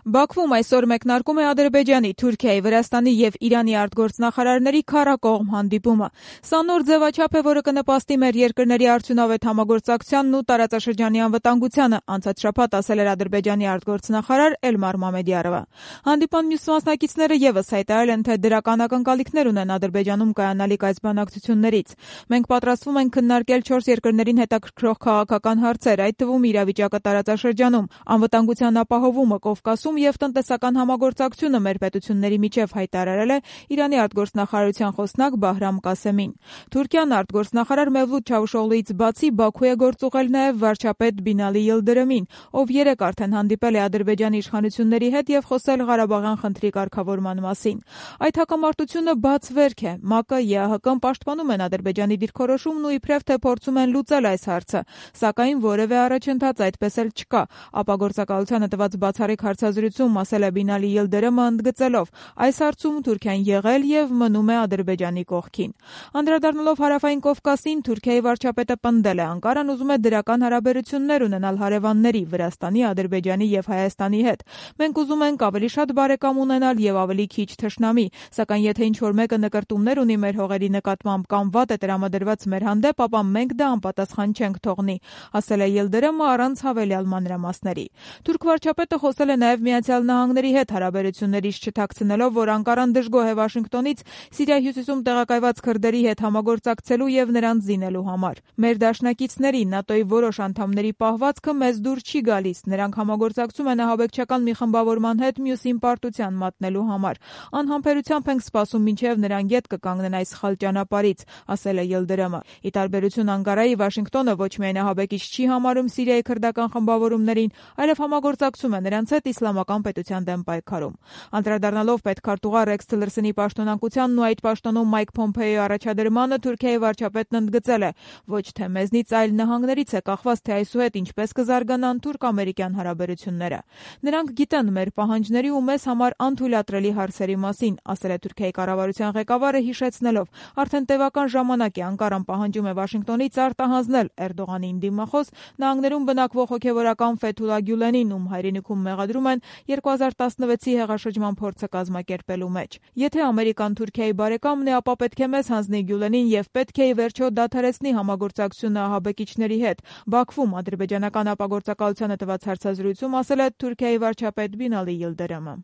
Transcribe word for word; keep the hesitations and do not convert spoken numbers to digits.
Բաքվում այսօր մեկնարկում է Ադրբեջանի, Թուրքիայի, Վրաստանի և Իրանի արտգործնախարարների քառակողմ հանդիպումը։ Սա նոր ձևաչափ է, որը կնպաստի մեր երկրների արդյունավետ համագործակցությանն ու տարածաշրջանի անվտանգությանը, անցած շաբաթ ասել էր Ադրբեջանի արտգործնախարար Էլմար Մամեդյարովը։ Հանդիպման մյուս մասնակիցները ևս հայտարարել են, թե դրական ակնկալիքներ ունեն Ադրբեջանում կայանալիք այս բանակցություններից։ Մենք պատրաստվում ենք քննարկել չորս երկրներին հետաքրքրող քաղաքական հարցեր, այդ թվում իրավիճակը տարածաշրջանում, անվտանգության ապահովումը Կովկասում և տնտեսական համագործակցությունը մեր պետությունների միջև, հայտարարել է Իրանի արտգործնախարարության խոսնակ Բահրամ Կասեմին։ Թուրքիան արտգործնախարար Մևլութ Չավուշօղլուից բացի Բաքու է գործուղել նաև վարչապետ Բինալի Յիլդիրիմին, ով երեկ արդեն հանդիպել է Ադրբեջանի իշխանությունների հետ և խոսել Ղարաբաղյան խնդրի կարգավորման մասին։ Այդ հակամարտությունը բաց վերք է։ ՄԱԿ-ը, ԵԱՀԿ-ն պաշտպանում են Ադրբեջանի դիրքորոշումն ու իբրև թե փորձում են լուծել այս հարցը, սակայն որևէ առաջընթաց այդպես էլ չկա, ապագործակալությանը տված բացառիկ հարցազրույցում ասել է Բինալի Յիլդիրիմը, ընդգծելով. այս հարցում Թուրքիան եղել և մնում է Ադրբեջանի կողքին։ Անդրադառնալով Հարավային Կովկասին, Թուրքիայի վարչապետը պնդել է, Անկարան ուզում է դրական հարաբերություններ ունենալ հարևանների Վրաստանի, Ադրբեջանի և Հայաստանի հետ։ Մենք ուզում ենք ավելի շատ բարեկամ ունենալ և ավելի քիչ թշնամի, սակայն եթե ինչ-որ մեկը նկրտումներ ունի մեր հողերի նկատմամբ կամ վատ է տրամադրված մեր հանդեպ, ապա մենք դա անպատասխան չենք թողնի, ասել է Յիլդիրիմը առանց հավելյալ մանրամասների։ Թուրք վարչապետը խոսել է նաև Միացյալ Նահանգների հետ հարաբերություններից չթաքցնելով, որ Անկարան դժգոհ է Վաշինգտոնից Սիրիայի հյուսիսում տեղակայված քրդերի հետ համագործակցելու և նրանց զինելու համար։ Մեր դաշնակիցների, ՆԱՏՕ-ի որոշ անդամների պահվածքը մեզ դուր չի գալիս, նրանք համագործակցում են ահաբեկչական մի խմբավորման հետ մյուսին պարտության մատնելու համար։ Անհամբերությամբ ենք սպասում, մինչև նրանք ետ կկանգնեն այս սխալ ճանապարհից, ասել է Յիլդիրիմը։ Ի տարբերություն Անկարայի, Վաշինգտոնը ոչ միայն ահաբեկիչ չի համարում Սիրիայի քրդական խմբավորումներին, այլև համագործակցում է նրանց հետ իսլամական պետության դեմ պայքարում։ Անդրադառնալով պետքարտուղար Ռեքս Թիլերսոնի պաշտոնանկությանն ու այդ պաշտոնում Մայք Փոմփեոյի առաջադրմանը, Թուրքիայի վարչապետն ընդգծել է. ոչ թե մեզնից, այլ նահանգներից է կախված, թե այսուհետ ինչպես կզարգանան թուրք-ամերիկյան հարաբերությունները։ Նրանք գիտեն մեր պահանջների ու մեզ համար անթույլատրելի հարցերի մասին, ասել է Թուրքիայի կառավարության ղեկավարը, հիշեցնելով. արդեն տևական ժամանակ է Անկարան պահանջում է Վաշինգտոնից արտահանձնել Էրդողանին դիմախոս նահանգներում բնակվող հոգևորական Ֆեթուլա Գյուլենին, ում հայրենիքում մեղադրում են երկու հազար տասնվեցի հեղաշրջման փորձը կազմակերպելու մեջ։ Եթե Ամերիկան Թուրքիայի բարեկամն է, ապա պետք է մեզ հանձնի Գյուլենին և պետք է ի վերջո դադարեցնի համագործակցությունը ահաբեկիչների հետ։ Բաքվում ադրբեջանական ապագործակալությանը տված հարցազրույցում ասել է Թուրքիայի վարչապետ Բինալի Յիլդիրիմը։